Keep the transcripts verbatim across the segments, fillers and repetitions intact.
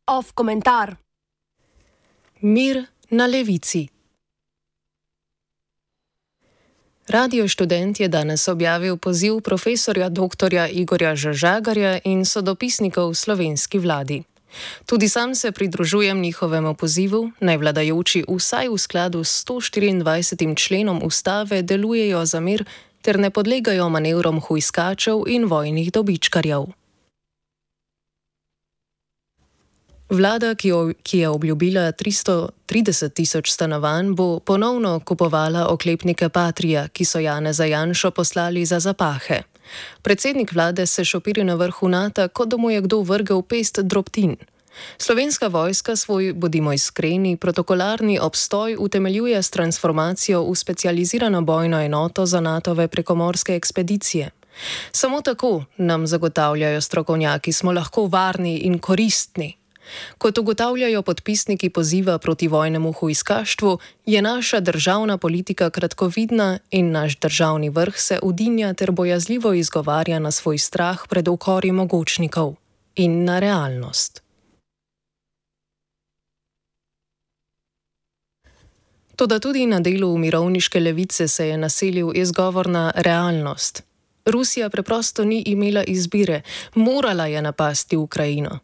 Off komentar. Mir na levici. Radio Študent je danes objavil poziv profesorja doktorja Igorja Žažagarja in sodopisnikov slovenski vladi. Tudi sam se pridružujem njihovemu pozivu, naj vladajoči vsaj v skladu s sto štiriindvajsetim členom ustave delujejo za mir ter ne podlegajo manevrom hujskačev in vojnih dobičkarjev. Vlada, ki, jo, ki je obljubila tristo trideset tisoč stanovanj, bo ponovno kupovala oklepnike Patria, ki so Janeza Janšo poslali za zapahe. Predsednik vlade se šopiri na vrhu Nata, kot da mu je kdo vrgel pest drobtin. Slovenska vojska svoj, bodimo iskreni, protokolarni obstoj utemeljuje s transformacijo v specializirano bojno enoto za Natove prekomorske ekspedicije. Samo tako nam zagotavljajo strokovnjaki, smo lahko varni in koristni. Kot ugotavljajo podpisniki poziva proti vojnemu hujskaštvu, je naša državna politika kratkovidna in naš državni vrh se udinja ter bojazljivo izgovarja na svoj strah pred ukori mogočnikov in na realnost. Toda tudi na delu mirovniške levice se je naselil izgovor na realnost. Rusija preprosto ni imela izbire, morala je napasti Ukrajino.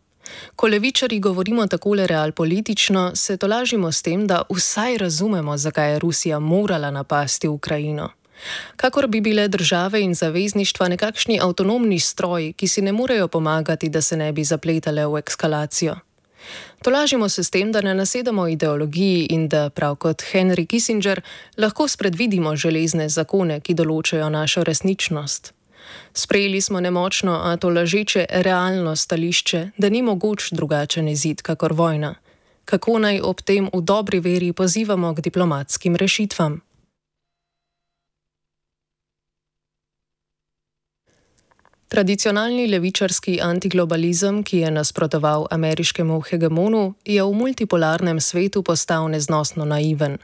Ko levičari govorimo takole realpolitično, se tolažimo s tem, da vsaj razumemo, zakaj je Rusija morala napasti Ukrajino. Kakor bi bile države in zavezništva nekakšni avtonomni stroji, ki si ne morejo pomagati, da se ne bi zapletale v eskalacijo. Tolažimo se s tem, da ne nasedamo ideologiji in da, prav kot Henry Kissinger, lahko spredvidimo železne zakone, ki določajo našo resničnost. Sprejeli smo nemočno, a to lažeče realno stališče, da ni mogoč drugačen izid kakor vojna. Kako naj ob tem v dobri veri pozivamo k diplomatskim rešitvam? Tradicionalni levičarski antiglobalizem, ki je nasprotoval ameriškemu hegemonu, je v multipolarnem svetu postal neznosno naiven.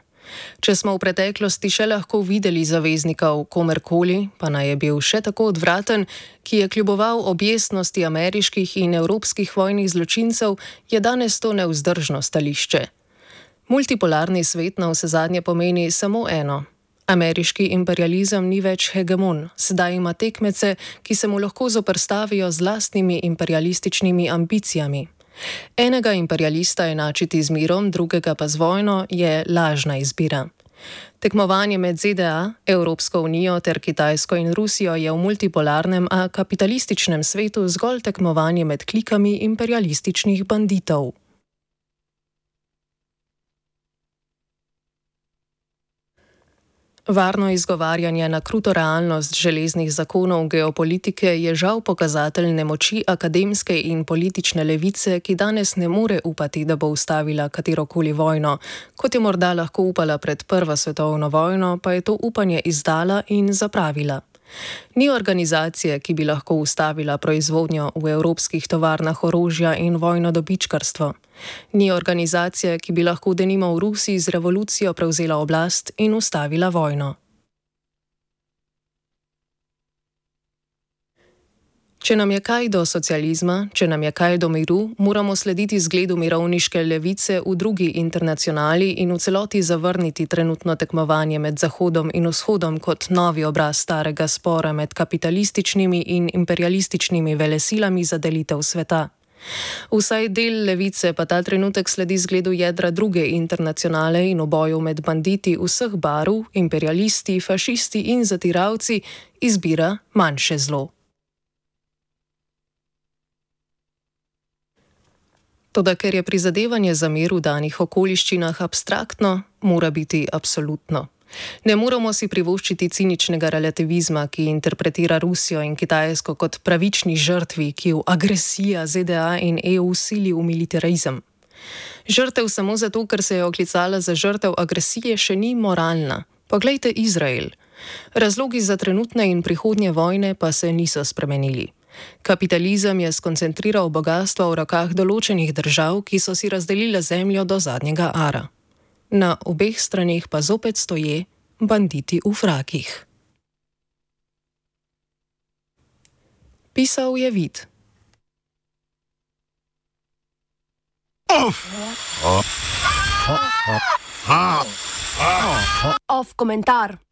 Če smo v preteklosti še lahko videli zaveznikov komerkoli, pa naj je bil še tako odvraten, ki je kljuboval objestnosti ameriških in evropskih vojnih zločincev, je danes to nevzdržno stališče. Multipolarni svet na vsezadnje pomeni samo eno. Ameriški imperializem ni več hegemon, sedaj ima tekmece, ki se mu lahko zoperstavijo z lastnimi imperialističnimi ambicijami. Enega imperialista enačiti z mirom, drugega pa z vojno, je lažna izbira. Tekmovanje med Z D A, Evropsko unijo ter Kitajsko in Rusijo je v multipolarnem, a kapitalističnem svetu zgolj tekmovanje med klikami imperialističnih banditov. Varno izgovarjanje na kruto realnost železnih zakonov geopolitike je žal pokazatelj nemoči akademske in politične levice, ki danes ne more upati, da bo ustavila katerokoli vojno. Kot je morda lahko upala pred Prvo svetovno vojno, pa je to upanje izdala in zapravila. Ni organizacije, ki bi lahko ustavila proizvodnjo v evropskih tovarnah orožja in vojno dobičkarstvo. Ni organizacije, ki bi lahko denimo v Rusiji z revolucijo prevzela oblast in ustavila vojno. Če nam je kaj do socializma, če nam je kaj do miru, moramo slediti zgledu mirovniške levice v drugi internacionali in v celoti zavrniti trenutno tekmovanje med Zahodom in Vzhodom kot novi obraz starega spora med kapitalističnimi in imperialističnimi velesilami za delitev sveta. Vsaj del levice pa ta trenutek sledi zgledu jedra druge internacionale in v boju med banditi vseh barv, imperialisti, fašisti in zatiravci izbira manjše zlo. Toda ker je prizadevanje za mir v danih okoliščinah abstraktno, mora biti absolutno. Ne moramo si privoščiti ciničnega relativizma, ki interpretira Rusijo in Kitajsko kot pravični žrtvi, ki v agresija Z D A in E U sili v militarizem. Žrtev samo zato, ker se je oklicala za žrtev agresije, še ni moralna. Poglejte Izrael. Razlogi za trenutne in prihodnje vojne pa se niso spremenili. Kapitalizem je skoncentriral bogastvo v rokah določenih držav, ki so si razdelile zemljo do zadnjega ara. Na obeh straneh pa zopet stoje banditi v frakih. Pisal je Vid. Off komentar.